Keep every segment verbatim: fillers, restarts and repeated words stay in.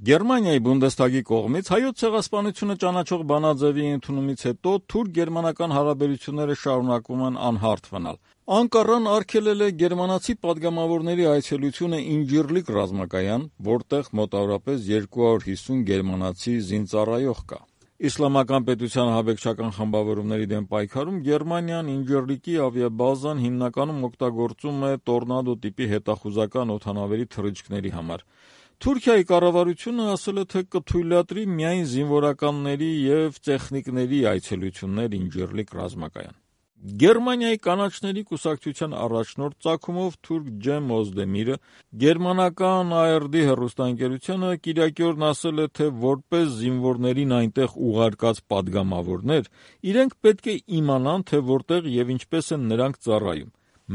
Գերմանիայի Բունդեսթագի կողմից հայոց ցեղասպանությունը ճանաչող բանաձևի ընդունումից հետո թուրք-գերմանական հարաբերությունները շարունակում են անհարթ մնալ։ Անկառան արգելել է գերմանացի պատգամավորների այցելությունը Ինջիրլիկ ռազմակայան, որտեղ մոտավորապես երկու հարյուր հիսուն գերմանացի զինծառայող կա։ Իսլամական պետության ահաբեկչական խմբավորումների դեմ պայքարում Գերմանիան Ինջիրլիկի ավիաբազան հիմնականում օգտագործում է տորնադո տիպի հետախուզական օդանավերի թռիչքների համար։ Թուրքիայի կառավարությունը ասել է, թե կթույլատրի միայն զինվորականների և տեխնիկների այցելություններ Ինջիրլիկ ռազմակայան։ Գերմանիայի կանաչների կուսակցության առաջնորդ ծագումով թուրք Ջեմ Օզդեմիրը գերմանական A R D հեռուստաընկերությանը կիրակի օրն ասել է, թե որպես զինվորներին այնտեղ ուղարկած պատգամավորներ, իրենք պետք է իմանան, թե որտեղ և ինչպես են նրանք ծառայում։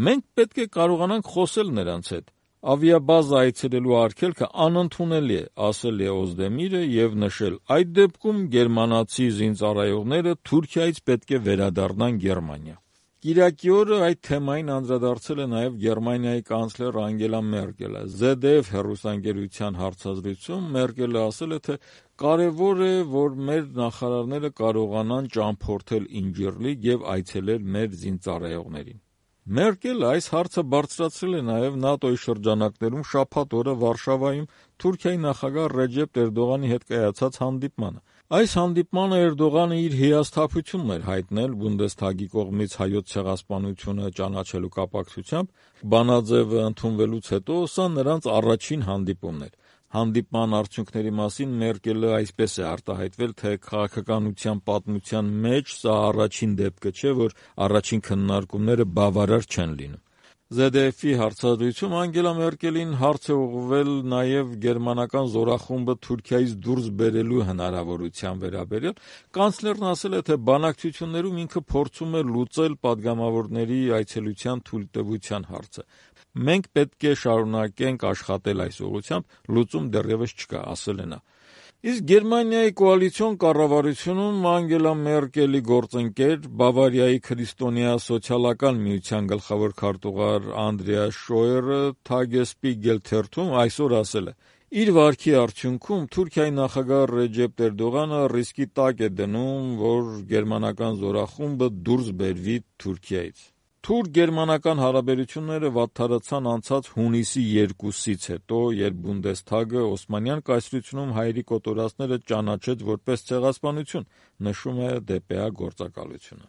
Մենք պետք է կարողանանք խոսել նրանց հետ։ Ավիաբազա այցելելու արգելքը անընդունելի է, ասել է Օզդեմիրը և նշել. այդ դեպքում գերմանացի զինծառայողները Թուրքիայից պետք է վերադառնան Գերմանիա։ Կիրակի օրը այդ թեմային անդրադարձել է նաև Գերմանիայի կանցլեր Անգելա Մերկելը։ Z D F հեռուստաընկերության հարցազրույցում Մերկելը ասել է, թե կարևոր է, որ մեր նախարարները կարողանան ճամփորդել Ինջիրլիկ և այցելել մեր զինծառայողներին։ Մերկելը այս հարցը բարձրացրել է նաև ՆԱՏՕ-ի շրջանակներում շաբաթ օրը Վարշավայում Թուրքիայի նախագահ Ռեջեփ Էրդողանի հետ կայացած հանդիպմանը։ Այս հանդիպմանը Էրդողանը իր հիասթափությունն էր հայտնել Բունդեսթագի կողմից հայոց ցեղասպանությունը ճանաչելու կապակցությամբ։ Բանաձևը ընդունվելուց հետո սա նրանց առաջին հանդիպումն էր։ Հանդիպման արդյունքների մասին Մերկելը այսպես է արտահայտվել, թե քաղաքականության պատմության մեջ սա առաջին դեպքը չէ, որ առաջին քննարկումները բավարար չեն լինում։ Z D F-ի հարցազրույցում Անգելա Մերկելին հարց է ուղղվել նաև գերմանական զորախումբը Թուրքիայից դուրս բերելու հնարավորության վերաբերյալ։ Կանցլերն ասել է, թե բանակցություններում ինքը փորձում է լուծել պատգամավորների այցելության թույլտվության հարցը։ Մենք պետք է շարունակենք աշխատել այս ուղղությամբ, լուծում դեռևս չկա, ասել է նա։ Իսկ Գերմանիայի կոալիցիոն կառավարությունում Անգելա Մերկելի գործընկեր, Բավարիայի քրիստոնյա սոցիալական միության գլխավոր քարտուղար Անդրեաս Շոյերը Թագեսպիգել թերթում այսօր ասել է. իր վարքի արդյունքում Թուրքիայի նախագահ Ռեջեփ Էրդողանը ռիսկի տակ է դնում, որ գերմանական զորախումբը դուրս բերվի Թուրքիայից։ Թուրք-գերմանական հարաբերությունները վատթարացան անցած հունիսի երկուսից հետո, երբ Բունդեսթագը Օսմանյան կայսրությունում հայերի կոտորածները ճանաչեց որպես ցեղասպանություն, նշում է D P A գործակալությունը։